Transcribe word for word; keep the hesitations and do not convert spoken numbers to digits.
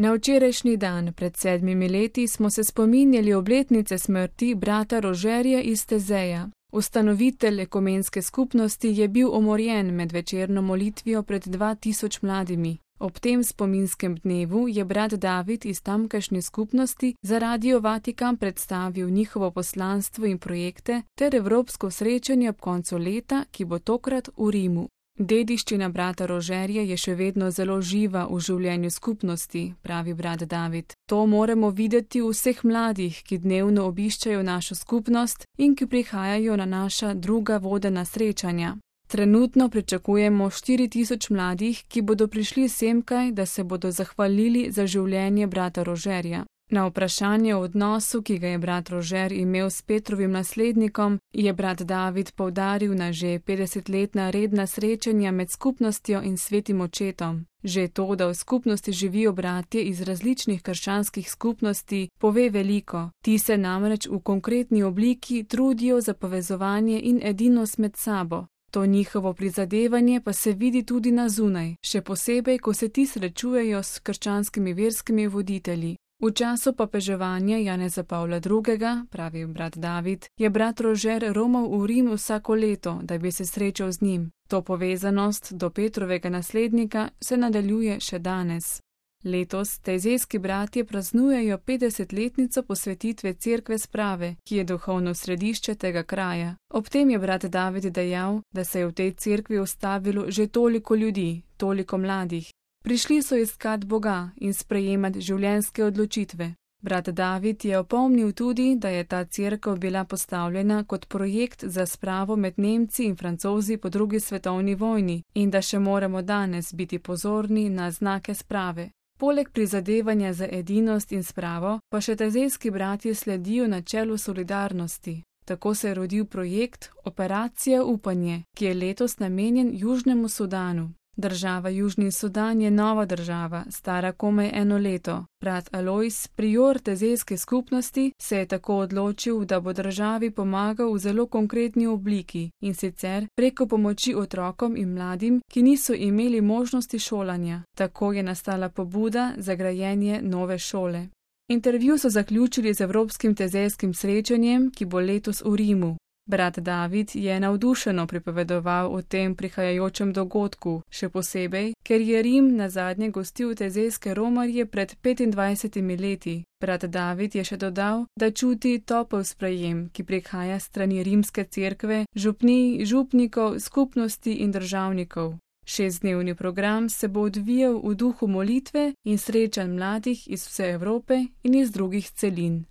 Na včerajšnji dan pred sedmimi leti smo se spominjali obletnice smrti brata Rožerja iz Tezeja. Ustanovitelj ekumenske skupnosti je bil umorjen med večerno molitvijo pred dva tisoč mladimi. Ob tem spominskem dnevu je brat David iz tamkajšnje skupnosti za Radio Vatikan predstavil njihovo poslanstvo in projekte ter evropsko srečanje ob koncu leta, ki bo tokrat v Rimu. Dediščina brata Rožerja je še vedno zelo živa v življenju skupnosti, pravi brat David. To moramo videti v vseh mladih, ki dnevno obiščajo našo skupnost in ki prihajajo na naša druga vodena srečanja. Trenutno pričakujemo štiri tisoč mladih, ki bodo prišli semkaj, da se bodo zahvalili za življenje brata Rožerja. Na vprašanje o odnosu, ki ga je brat Rožer imel s Petrovim naslednikom, je brat David poudaril na že petdesetletna redna srečanja med skupnostjo in svetim očetom. Že to, da v skupnosti živijo bratje iz različnih krščanskih skupnosti, pove veliko. Ti se namreč v konkretni obliki trudijo za povezovanje in edinost med sabo. To njihovo prizadevanje pa se vidi tudi na zunaj, še posebej, ko se ti srečujejo s krščanskimi verskimi voditelji. V času papeževanja Janeza Pavla drugega, pravi brat David, je brat Rožer romal v Rim vsako leto, da bi se srečal z njim. To povezanost do Petrovega naslednika se nadaljuje še danes. Letos tezejski bratje praznujejo petdesetletnico posvetitve cerkve Sprave, ki je duhovno središče tega kraja. Ob tem je brat David dejal, da se je v tej cerkvi ustavilo že toliko ljudi, toliko mladih. Prišli so iskat Boga in sprejemati življenjske odločitve. Brat David je opomnil tudi, da je ta cerkev bila postavljena kot projekt za spravo med Nemci in Francozi po drugi svetovni vojni in da še moramo danes biti pozorni na znake sprave. Poleg prizadevanja za edinost in spravo, pa še tezejski bratje sledijo načelu solidarnosti. Tako se je rodil projekt Operacija Upanje, ki je letos namenjen Južnemu Sudanu. Država Južni Sudan je nova država, stara komaj eno leto. Brat Alojz, prior tezejske skupnosti, se je tako odločil, da bo državi pomagal v zelo konkretni obliki, in sicer preko pomoči otrokom in mladim, ki niso imeli možnosti šolanja. Tako je nastala pobuda za grajenje nove šole. Intervju so zaključili z Evropskim tezejskim srečanjem, ki bo letos v Rimu. Brat David je navdušeno pripovedoval o tem prihajajočem dogodku, še posebej, ker je Rim nazadnje gostil tezejske romarje pred petindvajsetimi leti. Brat David je še dodal, da čuti topel sprejem, ki prihaja strani rimske cerkve, župnij, župnikov, skupnosti in državnikov. Šestdnevni program se bo odvijal v duhu molitve in srečanj mladih iz vse Evrope in iz drugih celin.